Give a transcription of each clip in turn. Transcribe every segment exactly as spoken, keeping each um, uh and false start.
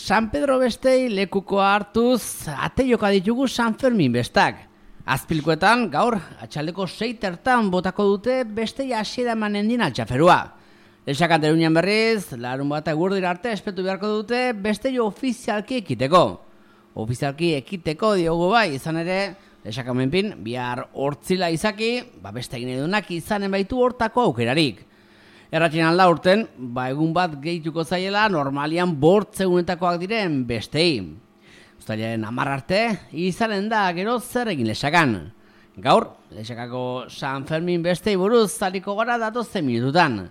San Pedro bestei lekukoa hartuz, ate joka ditugu San Fermin bestak. Azpilkoetan, gaur, atxaldeko seitertan botako dute bestei hasiera emanen din altxaferua. Lesakan terunian berriz, larun bat egurdira arte espetu beharko dute bestei ofizialki ekiteko. Ofizialki ekiteko diogu bai, izan ere, lesakan menpin, bihar hortzila izaki, ba beste egin edunak izanen baitu hortako aukerarik. Erratxen alda urten, ba egun bat gehituko zaiela normalian bortzegunetakoak diren bestei. Uztailaren hamar arte, izanen da gero zer egin lesakan. Gaur, lesakako San Fermin bestei buruz zaliko gara datozen minututan.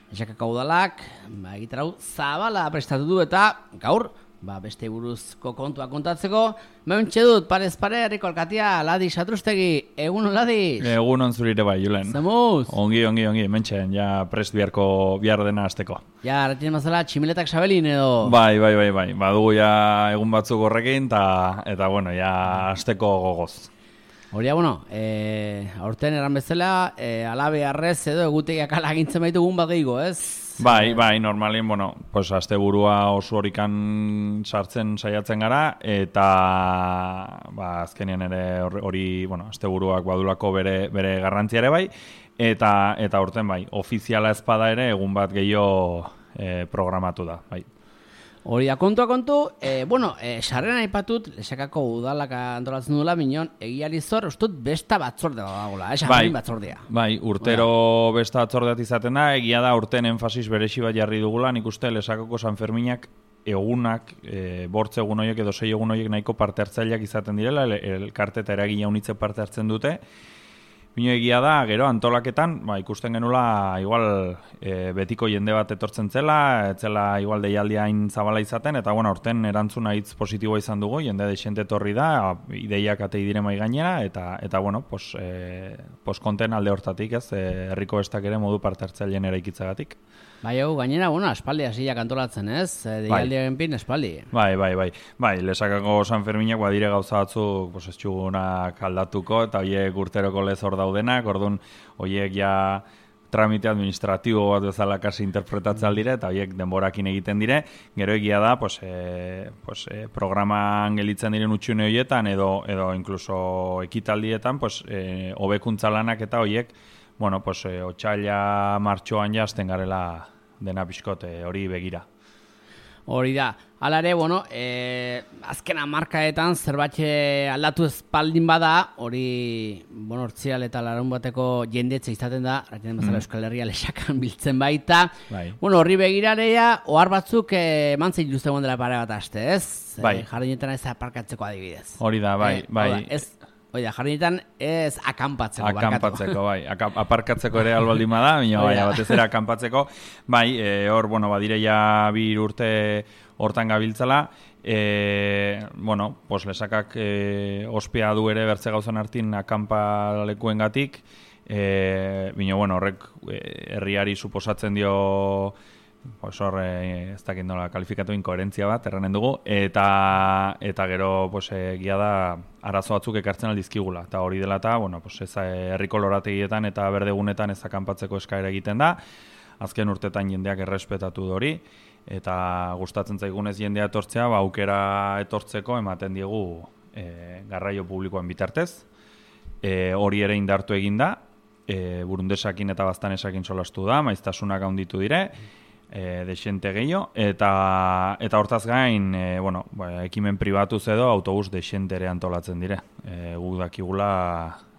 Lesakako udalak, ba egitarau zabala prestatu du eta gaur, ba bestei buruzko kontua kontatzeko, meuntxe dut parez pare herriko alkatia Ladi Satrustegi. Egun on, Ladi? Egun on zurire bai, Julen. Zamuz? Ongi, ongi, ongi, mentxen, ja prest biharko bihar dena azteko. Ja, ratien mazala tximiletak sabelin edo? Bai, bai, bai, bai, badugu ja egun batzuk horrekin, ta, eta bueno, ja azteko gogoz. Horia, bueno, e, aurten eran bezala, e, alabe arrez edo egutegiak alagintzen baitu egun bat gehiago, ez? Bai, bai, normalien, bueno, pues asteburua oso horikan sartzen saiatzen gara, eta ba, azkenean ere hori, bueno, asteburuak badulako bere, bere garrantzia ere bai, eta eta aurten bai, ofiziala ezpada ere egun bat gehiago e, programatu da, bai. Hori da, kontua kontu, e, bueno, e, sarrean aipatut, lesakako udalak antolatzen dula, minon, egiari zor, ustut besta batzordea dagoela, eh, bai, batzordea. Bai, urtero besta batzordeat izaten da, egia da urten enfasis beresi bat jarri dugula, nik uste lesakako San Ferminak egunak, e, bortze egun horiek edo sei egun horiek nahiko parte hartzaileak izaten direla, elkarte eta eragile unitzek parte hartzen dute. Bino egia da, gero antolaketan, ba, ikusten genula igual e, betiko jende bat etortzen zela, etzela igual deialdia hain zabala izaten, eta bueno, horten erantzuna hitz positiboa izan dugu, jende deixente etorri da, ideiak atei dire mai gainera, eta, eta bueno, pos, e, pos konten alde hortatik, ez, e, herriko bestak ere modu parte hartzaileen eraikitzagatik. Bai, hau, gainera, bueno, espaldi hasiak antolatzen, ez? Deialdiaren pin, espaldi. Bai, bai, bai. Bai, lesakako San Ferminak badire gauza batzuk, pues, ez txugunak aldatuko, eta horiek urteroko lez hor daudenak, orduan, horiek ja tramite administratibo bat bezala kasi interpretatzen aldire, eta horiek denborakin egiten dire. Gero egia da, pues, e, pues, e, programan gelitzen diren utxune horietan, edo, edo inkluso ekitaldietan, pues, e, hobekuntza lanak eta horiek, bueno, pues, eh, otxaila martxoan jazten garela dena pixkote hori begira. Hori da. Hala ere, bueno, eh, azken hamarkadetan zerbait aldatu espaldin bada, hori, bueno, hortzial eta larun bateko jendetze izaten da, ratien bezala mm. Euskal Herria lesakan biltzen baita. Bai. Bueno, horri begirareia, ohar batzuk eh, mantzei duztegon dela pare bat aste, ez? Bai. Eh, jardinetan ez aparkatzeko adibidez. Hori da, bai, eh, bai. Da, ez, Oida, jardinetan ez akanpatzeko, Akampatzeko, bai. Aka, aparkatzeko ere albaldima da, baina bai, batez ere akanpatzeko. Bai, hor, e, bueno, badire ja bi urte hortan gabiltzala. E, bueno, pues lesakak e, ospea du ere bertze gauzan hartin akanpalekuen gatik. E, baina, bueno, horrek e, herriari suposatzen dio... Pues hor, eh, ez dakit nola kalifikatu inkoherentzia bat, erranen dugu, eta eta gero pues, egia da arazo batzuk ekartzen aldizkigula, eta hori dela eta, bueno, pues, ez herriko lorategietan eta berdegunetan ez akanpatzeko eskaera egiten da, azken urtetan jendeak errespetatu hori, eta gustatzen zaigunez jendea etortzea, ba, aukera etortzeko ematen diegu e, garraio publikoan bitartez, e, hori ere indartu egin da, e, burundesakin eta baztanesakin solastu da, maiztasunak handitu dire, E, desente gehiago, eta eta hortaz gain, e, bueno, ba, ekimen pribatuz edo autobus desente ere antolatzen dire. E, guk dakigula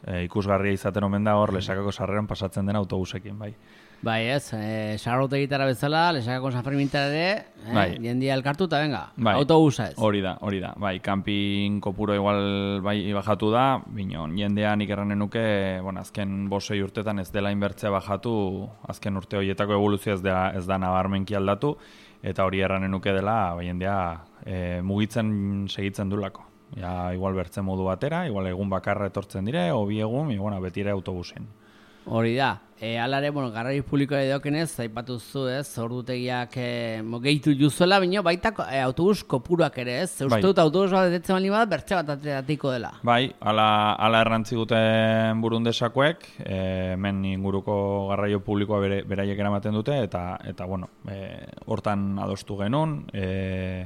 e, ikusgarria izaten omen da hor lesakako sarreran pasatzen den autobusekin, bai. Bai, ez, e, sarrote gitara bezala, lesakako San Fermintara ere, eh, bai. Jendia elkartu eta venga, bai. Autobusa ez. Hori da, hori da, bai, kanpin kopuro igual bai bajatu da, binon, jendean ikerranen nuke, bueno, azken bosei urtetan ez dela inbertzea bajatu, azken urte horietako evoluzioa ez da, ez da nabarmenki aldatu, eta hori erranen nuke dela, bai, jendea e, mugitzen segitzen dulako. Ja, igual bertzen modu batera, igual egun bakarra etortzen dire, obi egun, e, bueno, beti ere autobusen. Hori da, e, alare, bueno, garraio publikoa edokenez, aipatu zu, ez, ordutegiak e, gehitu juzuela, bino, baita e, autobus kopuruak ere, ez? Uste dut autobus bat etetzen bali bat, bertze bat ateratiko dela. Bai, ala, ala errantzi guten burundesakoek, e, hemen inguruko garraio publikoa bere, beraiek eramaten dute, eta, eta bueno, e, hortan adostu genuen, e,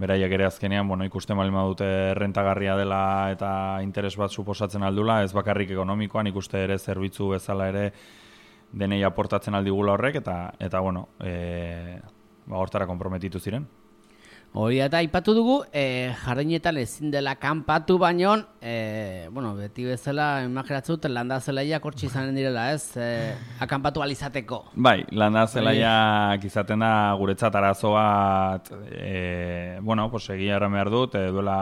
beraiek ere azkenean, bueno, ikusten baldin badute rentagarria dela eta interes bat suposatzen aldula, ez bakarrik ekonomikoan, ikuste ere zerbitzu bezala ere denei aportatzen aldigula horrek, eta, eta bueno, e, ba, hortara konprometitu ziren. Hori eta aipatu dugu, e, jardinetan ezin dela kanpatu baino, e, bueno, beti bezala imaginatzen dut landa zelaiak hortxe izanen direla, ez? E, akanpatu alizateko. Bai, landa zelaiak izaten da guretzat arazo bat, e, bueno, pues egia erran behar dut, e, duela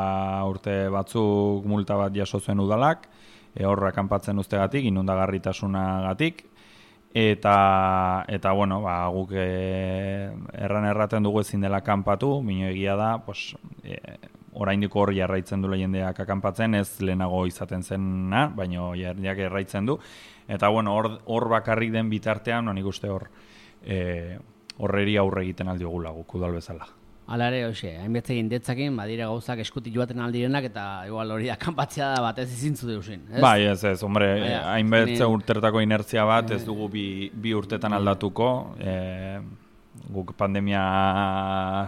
urte batzuk multa bat jaso zuen udalak, e, horra kanpatzen ustegatik, inundagarritasunagatik, Eta, eta bueno, ba, guk e, erran erraten dugu ezin dela kanpatu, mino egia da, pues, e, oraindiko hor jarraitzen du jendeak akanpatzen, ez lehenago izaten zena, baina jarriak erraitzen du. Eta bueno, hor, hor bakarrik den bitartean, nik uste hor, e, horreri aurre egiten aldiogula guk udal bezala. Hala ere, hoxe, hainbetze indetzakin, badire gauzak eskutik joaten aldirenak, eta igual hori da kanpatzea da bat ez izintzu deusin, ez? Bai, ez, ez, hombre, hainbetze urtertako inertzia bat ez dugu bi, bi urtetan aldatuko, e, guk pandemia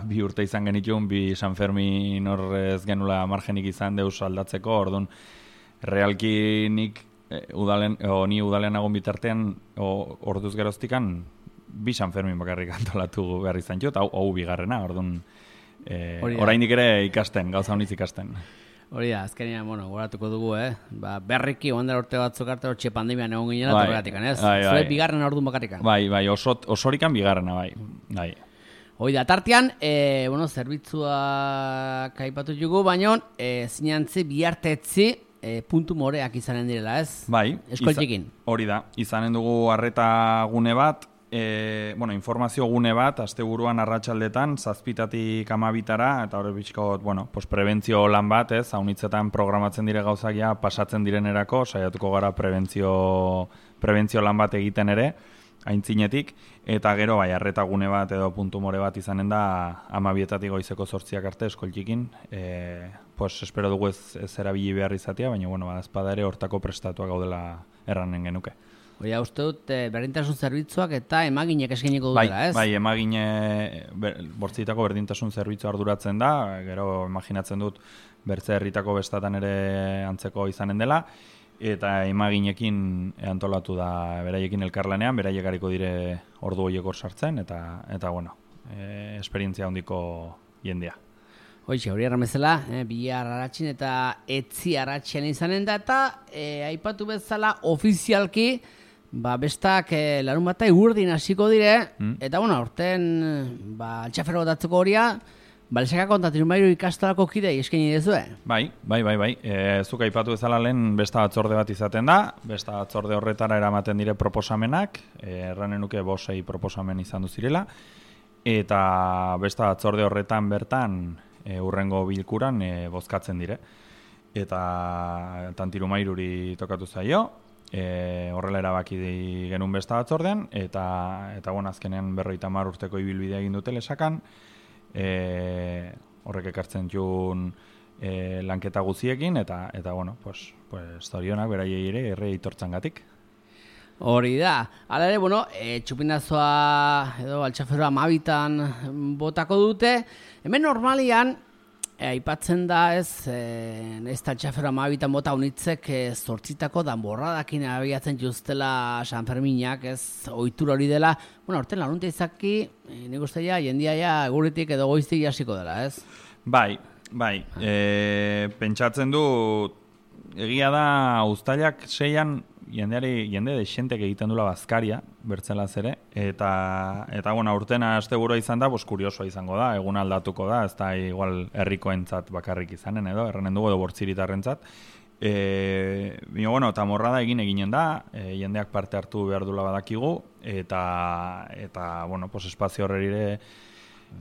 bi urte izan genitun, bi San Fermin hor ez genula margenik izan deus aldatzeko, orduan, realki nik e, udalen, o, ni udalen agon bitartean, o, orduz geroztikan, bi San Fermin bakarrik antolatu behar izan jut, hau, hau bigarrena, orduan, e, oraindik ere ikasten, gauza honiz ikasten. Hori da, azkenean, bueno, goratuko dugu, eh? Ba, berriki, ondera urte batzuk arte, hortxe pandemian egon ginen, bai, horregatikan, ez? Bai, bai. Zure bigarrena orduan bakarrikan. Bai, bai, oso, osorikan bigarrena, bai. bai. Hoi da, tartean, e, bueno, zerbitzua kaipatu jugu, baino, e, zinantzi bihartetzi, E, puntu moreak izanen direla, ez? Bai. Eskoltzekin. Hori da, izanen dugu arreta gune bat, e, bueno, informazio gune bat, asteburuan arratsaldetan, zazpitatik amabitara, eta hori bizkot, bueno, pues prebentzio lan bat, ez? Haunitzetan programatzen dire gauzak ja, pasatzen direnerako, saiatuko gara prebentzio, prebentzio lan bat egiten ere, aintzinetik, eta gero, bai, arreta gune bat edo puntu more bat izanen da amabietatik goizeko zortziak arte eskoltzikin, e, pues espero dugu ez, ez erabili behar izatea, baina, bueno, badazpada ere hortako prestatuak gaudela erranen genuke. Oia, uste dut, e, berdintasun zerbitzuak eta emaginek eskeniko dutela, bai, ez? Bai, emagine, ber, bortzitako berdintasun zerbitzu arduratzen da, gero imaginatzen dut bertze herritako bestatan ere antzeko izanen dela, eta emaginekin antolatu da beraiekin elkarlanean, beraiek hariko dire ordu horiek hor sartzen, eta, eta bueno, e, esperientzia handiko jendea. Hoixe, hori erramezela, eh, bihar aratxin eta etzi aratxian izanen da, eta eh, aipatu bezala ofizialki, ba, bestak eh, larun bat egurdin hasiko dire, mm. eta bueno, aurten ba, altxafero datzeko horia, Balseka kontatu mairu ikastolako kidei eskaini dezue? Bai, bai, bai, bai. E, zuk aipatu bezala lehen besta batzorde bat izaten da, besta batzorde horretara eramaten dire proposamenak, e, erranen nuke bosei proposamen izan duzirela, eta besta batzorde horretan bertan e, urrengo bilkuran e, bozkatzen dire. Eta tantiru mairuri tokatu zaio, e, horrela erabaki genuen besta batzordean, eta, eta bon, azkenean berrogeita hamar urteko ibilbidea egin dute lesakan, E, horrek ekartzen jun e, lanketa guziekin eta eta bueno, pues pues zorionak beraiei ere erre itortzangatik. Hori da. Hala ere, bueno, e, txupinazoa edo altxaferoa amabitan botako dute. Hemen normalian e, aipatzen da ez, e, ez altxaferoa amabitan bota unitzek e, zortzitako danborradakin abiatzen justela San Ferminak, ez, ohitura hori dela. Bueno, orten larunte izaki, e, nik uste ja, jendia ja eguritik edo goiztik jasiko dela, ez? Bai, bai. E, pentsatzen du, egia da, uztailak seian, jendeari, jende dexentek egiten dula bazkaria, bertzelaz ere, eta, eta bueno, urtena asteburua izan da, bos kuriosoa izango da, egun aldatuko da, ez da igual herrikoentzat bakarrik izanen edo, erranen dugu edo bortziritarrentzat. E, bino, bueno, eta morrada egin eginen da, e, jendeak parte hartu behar dula badakigu, eta, eta bueno, pues espazio horrerire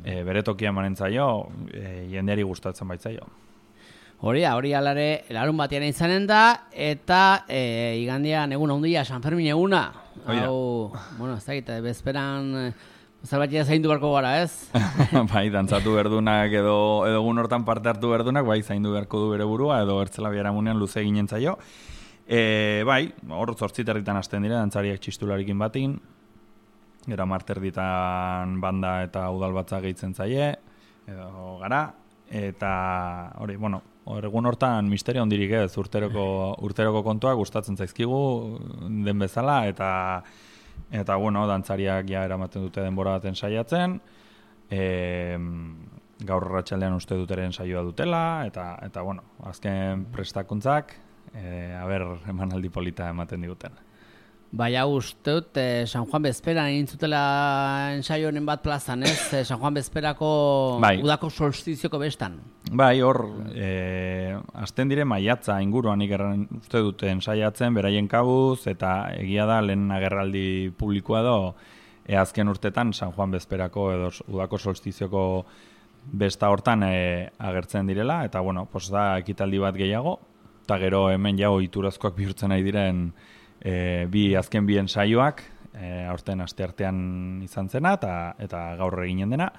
e, bere tokia manentzaio, e, jendeari gustatzen baitzaio. Hori da, hori alare larun batean izanen da, eta e, igandean egun handia San Fermin eguna. Hau, bueno, ez da gita, bezperan zalbatia zaindu barko gara, ez? Bai, dantzatu berdunak edo, edo egun hortan parte hartu berdunak, bai, zaindu beharko du bere burua, edo ertzela biharamunean luze ginen zaio. E, bai, hor zortziterritan hasten dire, dantzariak txistularikin batin, gero marterditan banda eta udal batza gehitzen zaie, edo gara, eta hori, bueno, egun hortan misterio hondirik ez, urteroko, urteroko kontua gustatzen zaizkigu den bezala, eta eta bueno, dantzariak ja eramaten dute denbora baten saiatzen, e, gaur arratsaldean uste duteren saioa dutela, eta, eta bueno, azken prestakuntzak, e, aber emanaldi polita ematen diguten. Bai, hau uste dut, eh, San Juan Bezperan egin zutela ensaio honen bat plazan, ez? Eh, San Juan Bezperako bai. Udako solstizioko bestan. Bai, hor, e, azten dire maiatza inguruan ikerren uste dut ensaiatzen, beraien kabuz, eta egia da lehen agerraldi publikoa edo, e, azken urtetan San Juan Bezperako edo udako solstizioko besta hortan e, agertzen direla, eta bueno, pos da ekitaldi bat gehiago, eta gero hemen jau iturazkoak bihurtzen nahi diren E, bi azken bien saioak e, aurten asteartean izan zena eta eta gaur eginen dena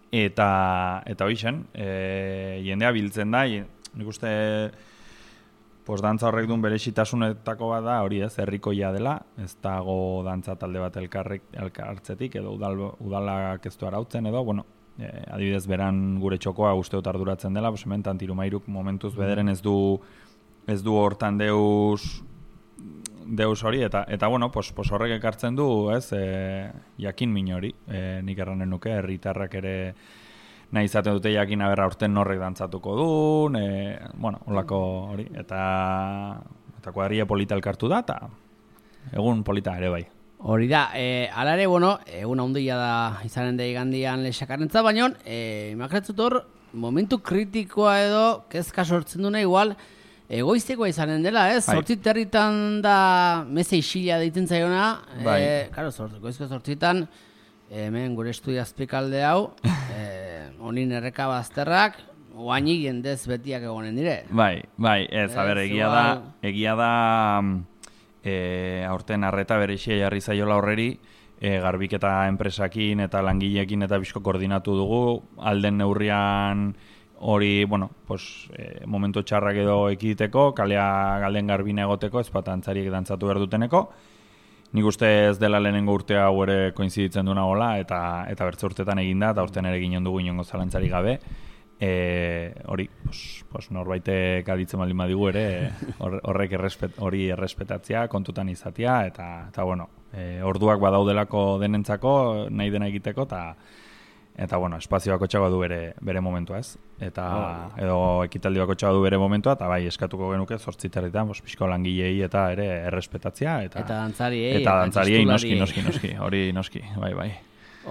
eta eta hoixen e, jendea biltzen da nik uste pues dantza horrek duen berezitasunetako bat da hori ez herrikoia dela ez dago dantza talde bat elkarrek elkartzetik edo udal, udalak ez du arautzen edo bueno e, adibidez beran gure txokoa uste dut arduratzen dela pues hemen Tantirumairuk momentuz bederen ez du ez du hortan deus deus hori, eta, eta bueno, pos, pos horrek ekartzen du, ez, e, jakin min hori, e, nik erranen nuke, herritarrak ere nahi izaten dute jakin aberra urten norrek dantzatuko duen, e, bueno, holako hori, eta, eta kuadrilla polita elkartu da, eta egun polita ere bai. Hori da, e, ala ere, bueno, egun handia da izanen da igandian lesakarentza, baina, e, imakretzut hor, momentu kritikoa edo, kezka sortzen duna igual, egoiztekoa izanen dela, ez? Bai. Zortzit herritan da meze isila deitzen zaiona. Bai. E, karo, goizko zortzitan, hemen gure estudia azpikalde hau, e, honin erreka bazterrak, oainik jendez betiak egonen dire. Bai, bai, ez, a ber, egia da, egia da, e, aurten arreta berexia jarri zaiola horreri, e, garbiketa enpresakin eta langileekin eta bizko koordinatu dugu, alden neurrian hori, bueno, pues, e, momentu txarrak edo ekiteko, kalea galden garbina egoteko, ez bat antzariek dantzatu behar duteneko. Nik uste ez dela lehenengo urtea hau ere koinziditzen duna gola, eta, eta bertze urtetan eginda, eta urtean ere ginen dugu inongo zalantzari gabe. E, hori, pues, pues, norbaitek aditzen baldin badigu ere, horrek errespet, hori errespetatzea, kontutan izatea, eta, eta bueno, e, orduak badaudelako denentzako, nahi dena egiteko, eta Eta, bueno, espazio bakotxagoa du bere, bere momentua, ez? Eta, oh. edo ekitaldi bakotxagoa du bere momentua, eta bai, eskatuko genuke zortziterritan, bos, pixko langilei eta ere errespetatzea. Eta, eta dantzariei. Eta dantzariei, noski, noski, noski, hori noski, bai, bai.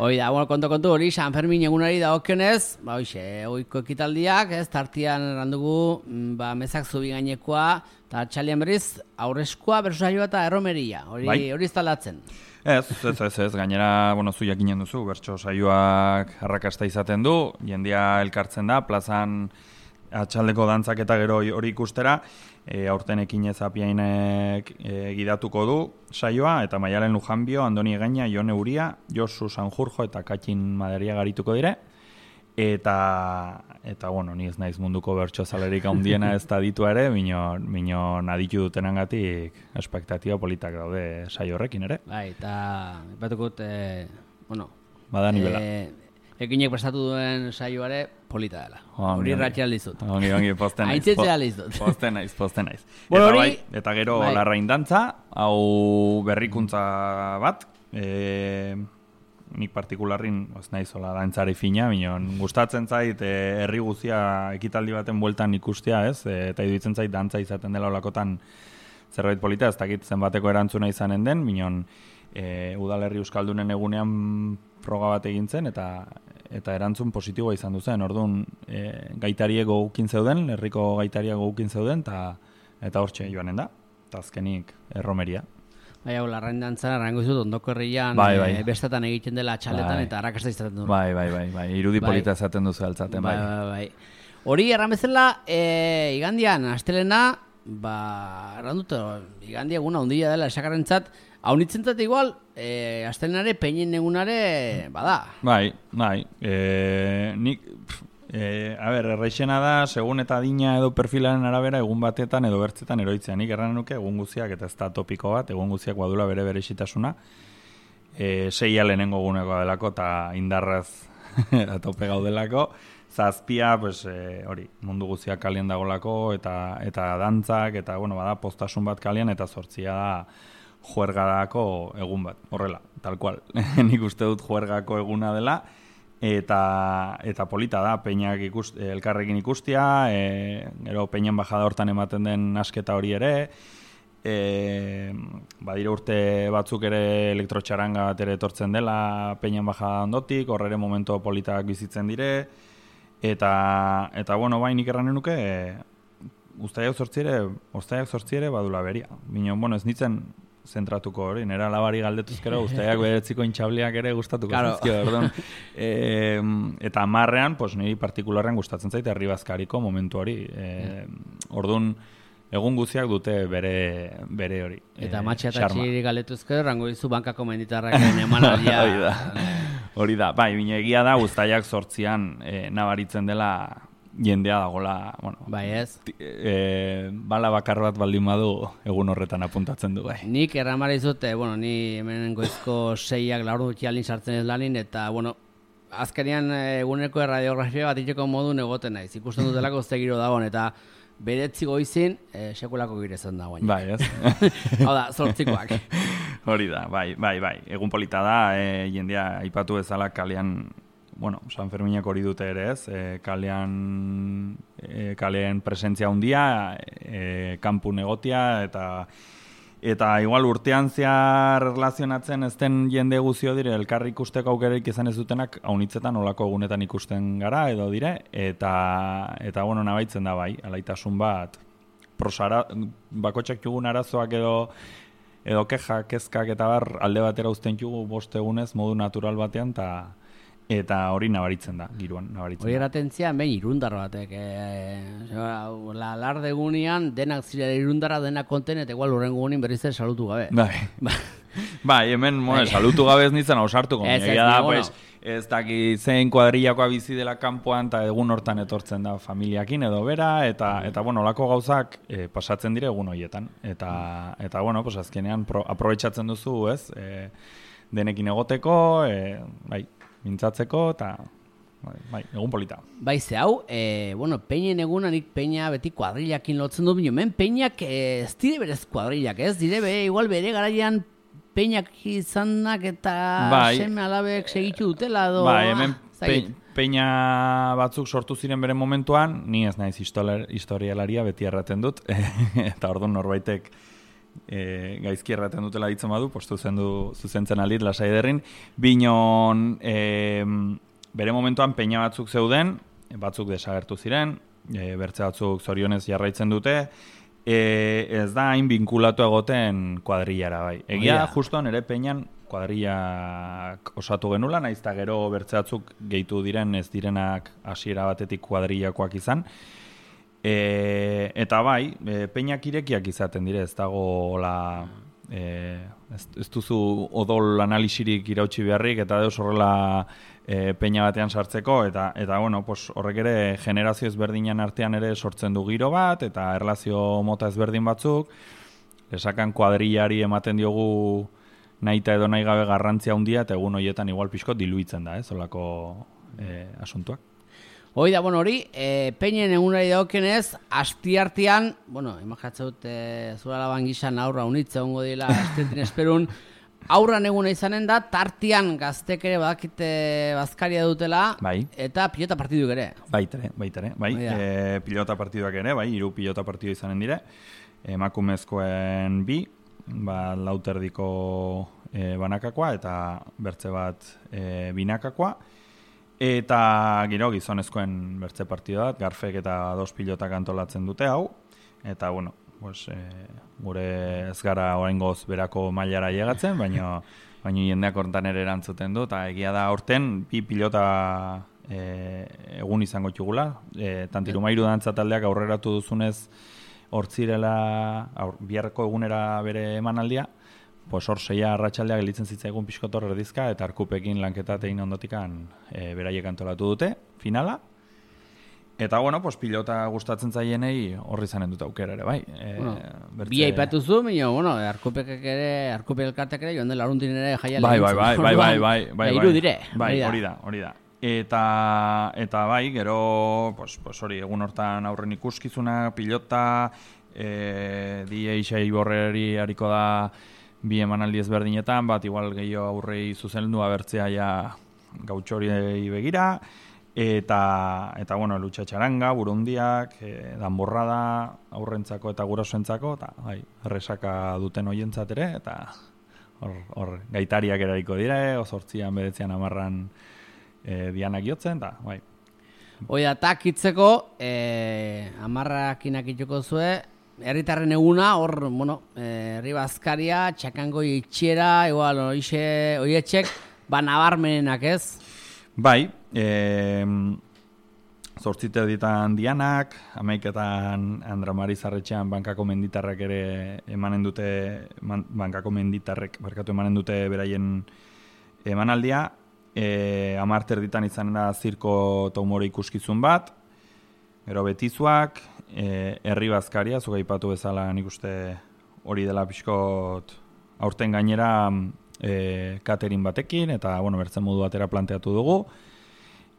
Hoi da, bueno, konto, kontu, hori, San Fermin egunari da okionez, ba, hoxe, oiko ekitaldiak, ez, tartian errandugu, ba, mezak zubi gainekoa, eta txalian berriz, aurrezkoa, bersusaioa eta erromeria, hori, bai. Hori instalatzen. Ez, ez, ez, ez, gainera, bueno, zu jakinen duzu, bertso saioak arrakasta izaten du, jendia elkartzen da, plazan atxaldeko dantzak eta gero hori ikustera, e, aurten ekinez apiainek e, gidatuko du saioa, eta Maialen Lujanbio, Andoni Egaina, Jone Uria, Josu Sanjurjo eta Katxin Maderia garituko dire, eta, eta bueno, ni ez naiz munduko bertso zalerik handiena ez da ditu ere, minon, minon aditu dutenangatik espektatiba politak daude saio horrekin ere. Bai, eta batukut, e, bueno, bada nibela. E, ekinek prestatu duen saioare polita dela. Hori ratxea aldizut. Ongi, ongi, posten naiz. Aintzitzea aldizut. Posten naiz, posten naiz. Bueno, eta, bai, eta gero bai. Larrain dantza, hau berrikuntza bat, e, nik partikularrin, ez naizola dantzari fina, minon, gustatzen zait e, herri guzia ekitaldi baten bueltan ikustea, ez? E, eta iduitzen zait dantza izaten dela olakotan zerbait polita, ez dakit zenbateko erantzuna izanen den, minon, e, udalerri euskaldunen egunean froga bat egin zen, eta eta erantzun positiboa izan duzen. Orduan, e, gaitariek gogukin zeuden, herriko gaitariak gogukin zeuden, eta eta hortxe joanen da, eta azkenik erromeria. Bai, hau, larrain dantzan, arrango izut, ondoko herrian, bai, bai. E, bestetan egiten dela txaletan, bai. Eta arrakasta izaten du. Bai, bai, bai, bai, irudi bai. Polita esaten duzu altzaten, bai. Bai, bai, bai. Hori, erran bezala, e, igandian, astelena, ba, erran dut, igandia eguna handia dela esakarrentzat, haunitzentzat igual, e, astelenare, peinen egunare, bada. Bai, bai, e, nik... E, a ber, erraixena da, segun eta adina edo perfilaren arabera, egun batetan edo bertzetan eroitzea. Nik erran nuke, egun guziak, eta ez da topiko bat, egun guziak badula bere berezitasuna, e, seia lehenengo gunekoa delako, eta indarraz atope gaudelako, zazpia, pues, e, hori, mundu guztiak kalian dagolako, eta eta dantzak, eta, bueno, bada, postasun bat kalian, eta zortzia da juergarako egun bat, horrela, tal cual. Nik uste dut juergako eguna dela, eta eta polita da, peinak ikust, elkarrekin ikustia, e, gero peinan bajada hortan ematen den asketa hori ere, e, badire urte batzuk ere elektrotxaranga bat ere etortzen dela peinan bajada ondotik, horre ere momentu politak bizitzen dire, eta, eta bueno, bai, nik erranen nuke, e, ustaiak zortziere, ustaiak zortziere badula beria. Bino, bueno, ez nitzen zentratuko hori, nera labari galdetuzkero, ustaiak beretziko intxabliak ere gustatuko claro. Zizkio, orduan. E, eta marrean, pues, niri partikularren gustatzen zaite herribazkariko momentu hori. E, orduan, egun guziak dute bere, bere hori. Eta e, matxa eta txiri galetuzkero, rango dizu bankako menditarrak emanaldia. Hori da. Hori da, bai, bine egia da, ustaiak zortzian e, nabaritzen dela jendea dagoela, bueno, bai ez. E, bala bakar bat baldin badu egun horretan apuntatzen du, bai. Nik erramara izute, bueno, ni hemen goizko seiak laur dut jalin sartzen ez lanin, eta, bueno, azkenean eguneko erradiografia bat itxeko modun egoten naiz. Ikusten dutelako zegiro dagoen, eta beretzi goizin, e, sekulako girezan dagoen. Bai, ez? Hau da, zortzikoak. Hori da, bai, bai, bai. Egun polita da, e, jendea aipatu bezala kalean, bueno, San Ferminak hori dute ere ez, e, kalean, e, kalean presentzia handia, e, kanpun egotia, eta eta igual urtean zehar relazionatzen ez den jende guzio dire, elkarri ikusteko aukereik izan ez dutenak, haunitzetan olako egunetan ikusten gara edo dire, eta, eta bueno, nabaitzen da bai, alaitasun bat, prosara, bakotxak jugun arazoak edo, edo keja, kezkak eta bar, alde batera uzten jugu bost egunez, modu natural batean, eta eta hori nabaritzen da, giroan nabaritzen hori eratentzia, behin irundar batek. E, la larde gunean, denak zirela irundara, denak konten, eta igual urren gunean berriz ere salutu gabe. Bai, bai hemen moe, salutu gabe ez nintzen ausartuko. Egia da, pues, ez daki zein kuadrillakoa bizi dela kanpoan, eta egun hortan etortzen da familiakin edo bera, eta, eta bueno, olako gauzak e, pasatzen dire egun horietan. Eta, eta bueno, pues, azkenean pro, aprobetxatzen duzu, ez, e, denekin egoteko, e, bai, mintzatzeko, eta bai, bai, egun polita. Bai, ze hau, e, bueno, peinen eguna nik peina beti kuadrillakin lotzen du, bino, men peinak e, ez dire berez kuadrillak, ez dire bere, igual bere garaian peinak izanak eta bai, seme alabek segitu dutela, edo... Bai, hemen pe, peina batzuk sortu ziren bere momentuan, ni ez naiz historialaria beti erraten dut, eta orduan norbaitek E, gaizki erraten dutela ditzen badu, postu zendu zuzentzen aldit lasai derrin, binon e, bere momentuan peina batzuk zeuden, batzuk desagertu ziren, e, bertze batzuk zorionez jarraitzen dute, e, ez da hain binkulatu egoten kuadrillara bai. Egia, oh, yeah. Justuan ere peinan kuadrillak osatu genula, naiz eta gero bertze batzuk gehitu diren ez direnak hasiera batetik kuadrillakoak izan. E, eta bai, e, peinak irekiak izaten dire, ez dago la, e, ez, ez duzu odol analisirik irautsi beharrik, eta deus horrela e, peina batean sartzeko, eta, eta bueno, pues, horrek ere generazio ezberdinan artean ere sortzen du giro bat, eta erlazio mota ezberdin batzuk, esakan kuadrillari ematen diogu nahita edo nahi gabe garrantzia handia, eta egun horietan igual pixko diluitzen da, ez, olako e, asuntuak. Hoi da, bueno, hori, e, peinen egunari dagokenez, astiartean, bueno, imaginatzen dut, e, zura laban gizan aurra unitza ongo dila, astiartin esperun, aurran eguna izanen da, tartian gaztek ere badakite bazkaria dutela, bai. Eta pilota partiduk ere. Baitere, baitere, bai, e, pilota partiduak ere, bai, hiru pilota partidu izanen dire, emakumezkoen bi, ba, lauterdiko e, banakakoa, eta bertze bat e, binakakoa, eta gero gizonezkoen bertze partida bat, Garfek eta dos pilotak antolatzen dute hau, eta bueno, pues, e, gure ez gara oraingoz berako mailara llegatzen, baina baina jendeak hortan ere erantzuten du, eta egia da aurten bi pilota e, egun izango txugula, e, Tantirumairu dantza taldeak aurreratu duzunez hortzirela, aur, biharko egunera bere emanaldia, pues hor seia arratsaldeak gelitzen zitzaigun pixkotor erdizka, eta arkupekin lanketa egin ondotikan e, beraiek antolatu dute, finala. Eta, bueno, pues pilota gustatzen zaienei horri zanen dut aukera ere, bai. E, bueno, bertze... Bi aipatu zu, baina, bueno, arkupekek ere, arkupek elkartek ere, joan dela arruntin ere jaiale. Bai, bai, bai, bai, bai, bai, bai, iru dire. Bai, hori da, hori da. Eta, eta bai, gero, pues, pues hori, egun hortan aurren ikuskizuna, pilota, e, D J Iborreri hariko da bi emanaldi ezberdinetan, bat igual gehiago aurrei zuzendu abertzea ja gautxori begira, eta, eta bueno, lutxa txaranga, burundiak, e, danborrada, aurrentzako eta gurasoentzako, eta bai, erresaka duten hoientzat ere, eta hor, hor gaitariak erariko dire, ozortzian, bedetzian, amarran e, dianak jotzen, eta bai. Oida, takitzeko, e, amarrakinak itxoko zue, herritarren eguna, hor, bueno, herri bazkaria, txakango itxiera, igual, oietxek, ba, nabarmenenak ez? Bai, e, zortzite ditan dianak, amaiketan Andra Mari Zarretxean bankako menditarrak ere emanen dute, man, bankako menditarrek barkatu emanen dute beraien emanaldia, e, amarter ditan izanen da zirko eta humore ikuskizun bat, gero betizuak, e, herri bazkaria, zuga ipatu bezala nik uste hori dela pixkot aurten gainera e, catering batekin, eta bueno, bertzen modu batera planteatu dugu,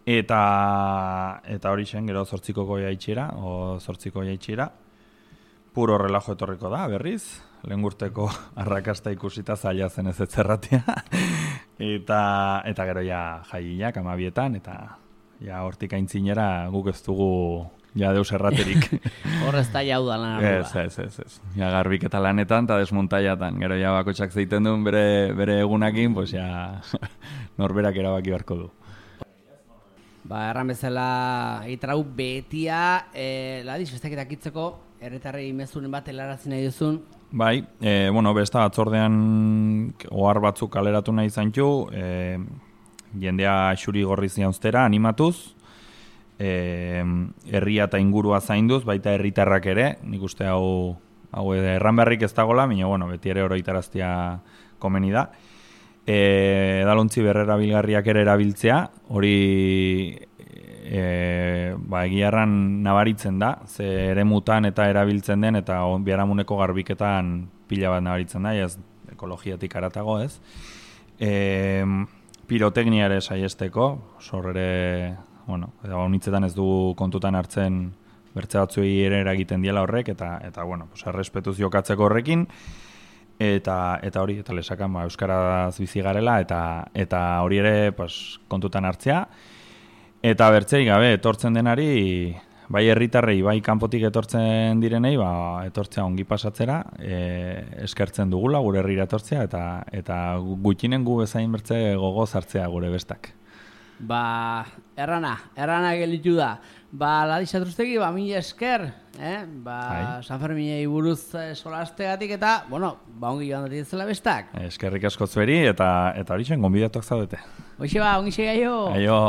eta eta hori zen, gero zortzikoko jaitxera, o zortziko jaitxera, puro relajo etorriko da, berriz, lehen urteko arrakasta ikusita zaila zen ez etzerratia, eta, eta gero ja jaiak amabietan, eta ja hortik aintzinera guk ez dugu ja deus erraterik. Horrez da jau da lan ardua. Ez, ez, ez, ez. Ja garbik eta lanetan eta desmontaiatan. Gero ja bakotxak zeiten duen bere, bere egunakin, pues ja norberak erabaki beharko du. Ba, erran bezala itrau betia, e, ladiz, besteketak itzeko, herritarrei mezuren bat helarazi nahi duzun. Bai, e, bueno, besta batzordean ohar batzuk kaleratu nahi zaintxu, e, jendea xuri gorriz jauztera, animatuz, e, herria eta ingurua zainduz, baita herritarrak ere, nik uste hau, hau erran beharrik ez dagoela, baina bueno, beti ere oroitaraztia komeni da. E, edalontzi berrera bilgarriak ere erabiltzea, hori e, ba, egiarran nabaritzen da, ze eremutan eta erabiltzen den, eta biharamuneko garbiketan pila bat nabaritzen da, ez ekologiatik aratago ez. E, piroteknia ere saiesteko, sor ere, bueno, honitzetan ez du kontutan hartzen bertze batzuei ere eragiten diela horrek, eta, eta bueno, pues, errespetuz jokatzeko horrekin, Eta, eta hori, eta lesakan ba, euskaraz bizi garela, eta, eta hori ere pues, kontutan hartzea. Eta bertzei gabe, etortzen denari, bai herritarrei, bai kanpotik etortzen direnei, ba, etortzea ongi pasatzera, e, eskertzen dugula gure herrira etortzea, eta, eta gutxinen gu bezain bertze gogo zartzea gure bestak. Ba, errana, errana gelitu da. Ba, Ladiz Atruztegi, ba, mila esker, eh? Ba, Hai. San Ferminei buruz eh, solastegatik eta, bueno, ba, ongi joan dut zela bestak. Eskerrik asko zueri, eta, eta hori zen, gonbidatuak zaudete. Hoxe ba, ongi segaio. Aio.